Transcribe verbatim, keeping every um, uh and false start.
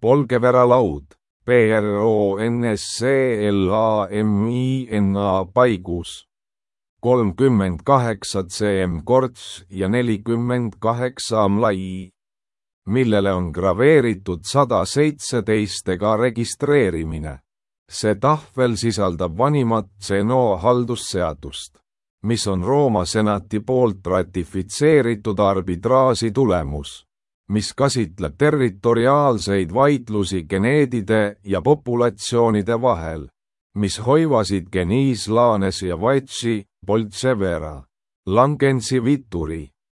Polgevera laud, P R O N S C L A M I N A paigus, kolmkümmend kaheksa cm korts ja nelikümmend kaheksa cm lai, millele on graveeritud sada seitseteist ega registreerimine. See tahvel sisaldab vanimat Zeno haldusseadust, mis on Rooma senati poolt ratifitseeritud arbitraaži tulemus, mis käsitleb territoriaalseid vaidlusi geneedide ja populatsioonide vahel, mis hoivasid Geniis Lanes ja Vaitsi, Poltsevera, Langensi Vituri,